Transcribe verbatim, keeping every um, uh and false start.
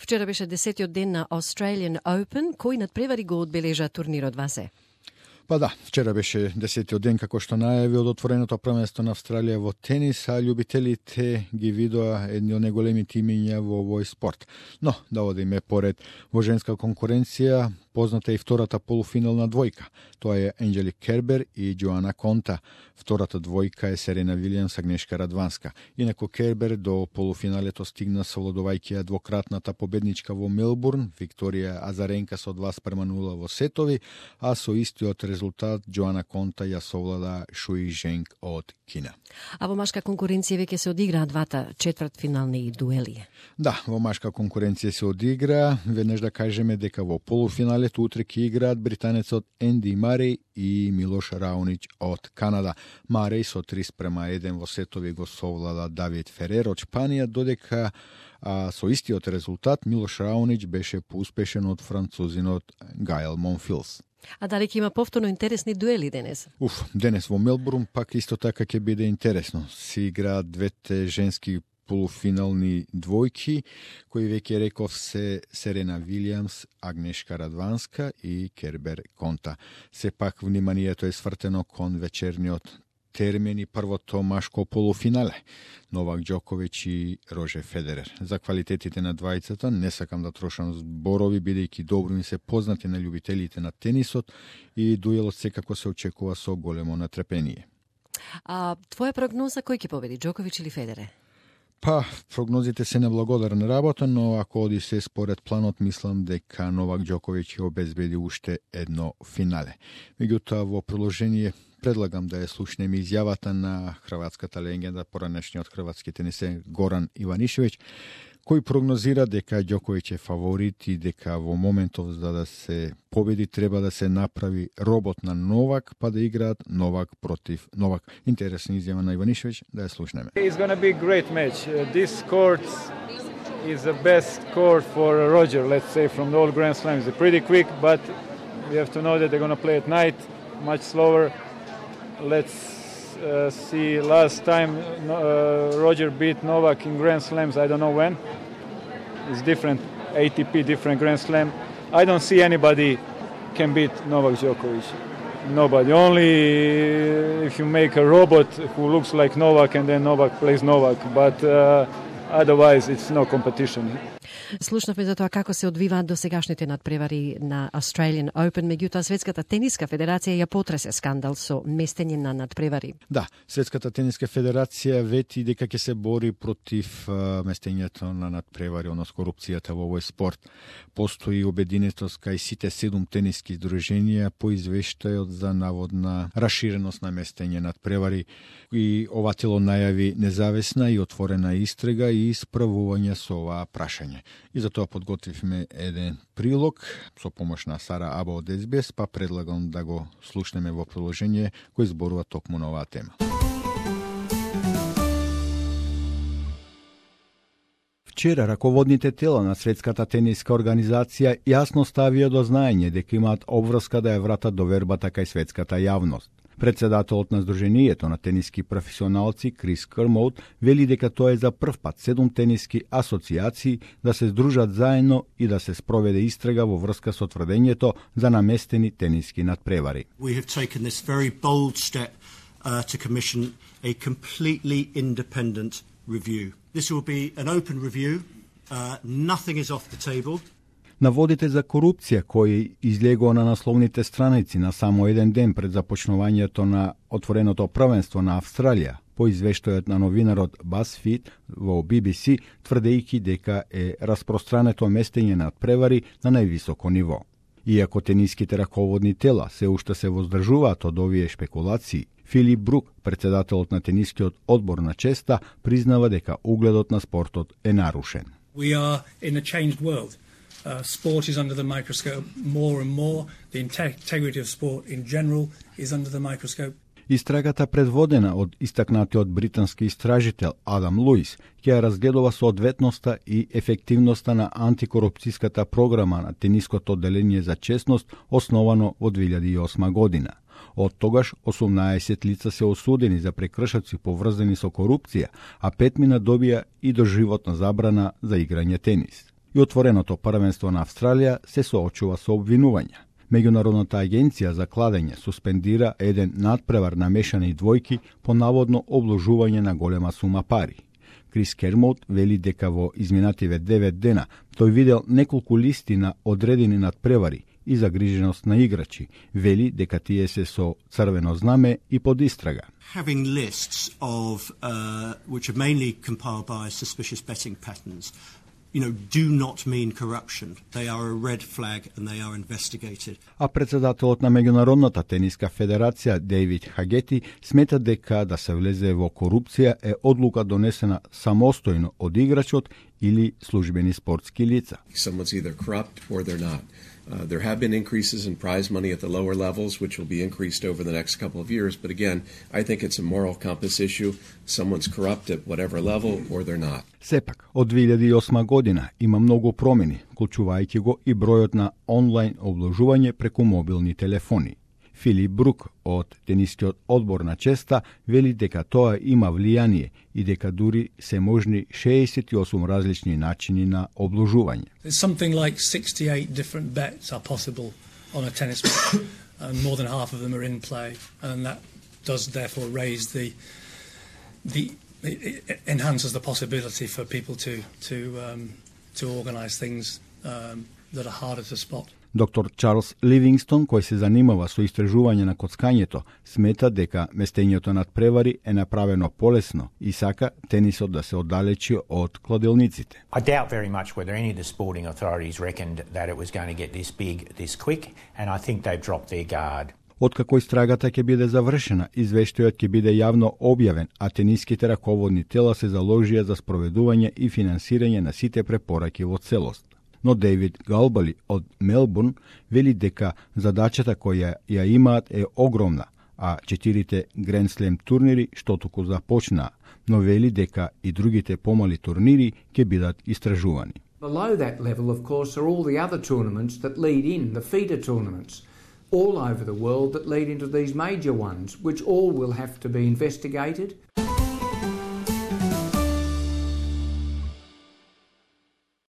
Вчера беше десетиот ден на Australian Open, кој надпревари го одбележа турнирот Васе. Па да, вчера беше десетиот ден, како што најави од отвореното првенство на Австралија во тенис, а љубителите ги видоа едни од најголемите имиња во овој спорт. Но, да одиме поред, во женска конкуренција позната е и втората полуфинална двојка. Тоа е Анджелик Кербер и Джоана Конта. Втората двојка е Серена Вилијамс, Агнешка Радванска. Инаку Кербер до полуфиналето стигна совладувајќи ја двократната победничка во Мелбурн, Викторија Азаренка со два спрема нула во сетови, а со истиот резултат Джоана Конта ја совлада Шуи Женг од Кина. А во машка конкуренција веќе се одиграа двата четвртфинални дуели. Да, во машка конкуренција се одигра. Веднаш да кажеме дека во полуфиналето утре ќе играат британецот Енди Мареј и Милош Раонич од Канада. Мареј со три спрема еден во сетови го совлада Давид Ферер од Шпанија, додека а, со истиот резултат Милош Раонич беше поуспешен од французинот Гајл Монфилс. А дали ќе има повторно интересни дуели денес? Уф, денес во Мелбурн пак исто така ќе биде интересно. Се играат двете женски полуфинални двојки, кои веќе реков се Серена Вилијамс, Агнешка Радванска и Кербер Конта. Сепак вниманието е свртено кон вечерниот термин и првото машко полуфинале, Новак Џоковиќ и Рожер Федерер. За квалитетите на двајцата не сакам да трошам зборови, бидејќи добро ми се познати на љубителите на тенисот и дуелот секако се очекува со големо натрпение. А твоја прогноза кој ќе победи, Џоковиќ или Федерер? Па, прогнозите се неблагодарна работа, но ако оди се според планот, мислам дека Новак Џоковиќ ќе обезбеди уште едно финале. Меѓутоа, во продолжение предлагам да ја слушнеме изјавата на хрватската легенда, поранешниот хрватски тенисер Горан Иванишевиќ, кој прогнозира дека Џоковиќ е фаворит и дека во моментов за да се победи треба да се направи робот на Новак, па да играат Новак против Новак. Интересна изјава на Иванишевиќ, да ја слушнеме. It's going to be a great match. Uh, this court is the best court for Roger, let's say, from the all Grand Slams. They're pretty quick, but we have to know that they're going to play at night, much slower. Let's uh, see, last time uh, Roger beat Novak in Grand Slams, I don't know when. It's different, A T P, different Grand Slam. I don't see anybody can beat Novak Djokovic. Nobody. Only if you make a robot who looks like Novak and then Novak plays Novak. But uh, otherwise it's no competition. Слушнавме за тоа како се одвиваат досегашните надпревари на Australian Open, меѓутоа Светската тениска федерација ја потресе скандал со местење на надпревари. Да, Светската тениска федерација вети дека ќе се бори против а, местењето на надпревари, односно корупцијата во овој спорт. Постои обединетост кај сите седум тениски здруженија по извештајот за наводна раширеност на местење надпревари, и ова тело најави независна и отворена истрага и исправување со оваа прашање. И за тоа подготвивме еден прилог со помош на Сара Аба од Ес Би Ес, па предлагам да го слушнеме во продолжение кој зборува токму на оваа тема. Вчера раководните тела на Светската тениска организација јасно ставија до знаење дека имаат обврска да ја вратат довербата кај светската јавност. Председателот на Сдруженијето на тениски професионалци Крис Кермоут вели дека тоа е за прв пат седум тениски асоцијации да се здружат заедно и да се спроведе истрага во врска со тврдењето за наместени тениски надпревари. We have taken this very bold step uh, to commission a completely independent review. This will be an open review. Uh, nothing is off the table. Наводите за корупција кои излегува на насловните страници на само еден ден пред започнувањето на отвореното првенство на Австралија, по извештајот на новинарот BuzzFeed во Би Би Си, тврдејќи дека е распространето местење на надпревари на највисоко ниво. Иако тениските раководни тела се уште се воздржуваат од овие шпекулации, Филип Брук, председателот на тенискиот одбор на честа, признава дека угледот на спортот е нарушен. We are in a changed world. Uh, sport is under the microscope more and more. The integrity of sport in general is under the microscope. Истрагата предводена од истакнатиот британски истражител Адам Луис ќе ја разгледува соодветноста и ефективноста на антикорупцијската програма на тениското одделение за честност, основано во две илјади и осма година. Од тогаш осумнаесет лица се осудени за прекршоци поврзани со корупција, а петмина добија и доживотна забрана за играње тенис. и отвореното првенство на Австралија се соочува со обвинувања. Меѓународната агенција за кладење суспендира еден надпревар на мешани двојки по наводно обложување на голема сума пари. Крис Кермоут вели дека во изминативе девет дена тој видел неколку листи на одредени надпревари и загриженост на играчи. Вели дека тие се со црвено знаме и под истрага. Having lists of uh, which are mainly compiled by suspicious betting patterns, you know, do not mean corruption. They are a red flag and they are investigated. А председателот на Меѓународната тениска федерација Дейвид Хагети смета дека да се влезе во корупција е одлука донесена самостојно од играчот или службени спортски лица. Someone's either corrupt or they're not. Uh, there have been increases in prize money at the lower levels, which will be increased over the next couple of years. But again, I think it's a moral compass issue. Someone's corrupt at whatever level or they're not. Сепак, од две илјади и осма година има многу промени, вклучувајќи го и бројот на онлайн обложување преку мобилни телефони. Филип Брук од тенискиот одбор на честа вели дека тоа има влијание и дека дури се можни шеесет и осум различни начини на обложување. Something like sixty-eight different bets are possible on a tennis match, and more than half of them are in play, and that does therefore raise the the it enhances the possibility for people to to um, to organise things um, that are harder to spot. Доктор Чарлс Ливингстон, кој се занимава со истражување на коцкањето, смета дека местењето над превари е направено полесно и сака тенисот да се оддалечи од кладилниците. I doubt very much whether any of the sporting authorities reckoned that it was going to get this big this quick, and I think they've dropped their guard. Откако истрагата ќе биде завршена, извештајот ќе биде јавно објавен, а тениските раководни тела се заложија за спроведување и финансирање на сите препораки во целост. Но Дейвид Галбали од Мелбурн вели дека задачата која ја имаат е огромна, а четирите Grand Slam турнири што току започнаа, но вели дека и другите помали турнири ќе бидат истражувани. Below that level, of course, are all the other tournaments that lead in, the feeder tournaments, all over the world that lead into these major ones, which all will have to be investigated.